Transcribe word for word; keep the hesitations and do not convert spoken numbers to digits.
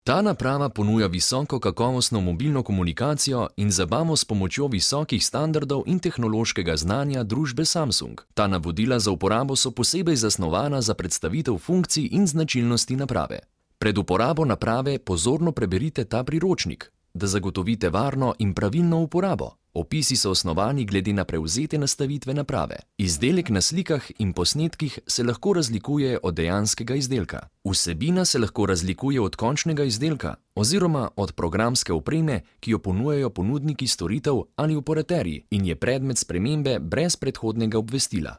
Ta naprava ponuja visoko kakovostno mobilno komunikacijo in zabavo s pomočjo visokih standardov in tehnološkega znanja družbe Samsung. Ta navodila za uporabo so posebej zasnovana za predstavitev funkcij in značilnosti naprave. Pred uporabo naprave pozorno preberite ta priročnik, da zagotovite varno in pravilno uporabo. Opisi so osnovani glede na prevzete nastavitve naprave. Izdelek na slikah in posnetkih se lahko razlikuje od dejanskega izdelka. Vsebina se lahko razlikuje od končnega izdelka oziroma od programske opreme, ki jo ponujajo ponudniki storitev ali operaterji in je predmet spremembe brez predhodnega obvestila.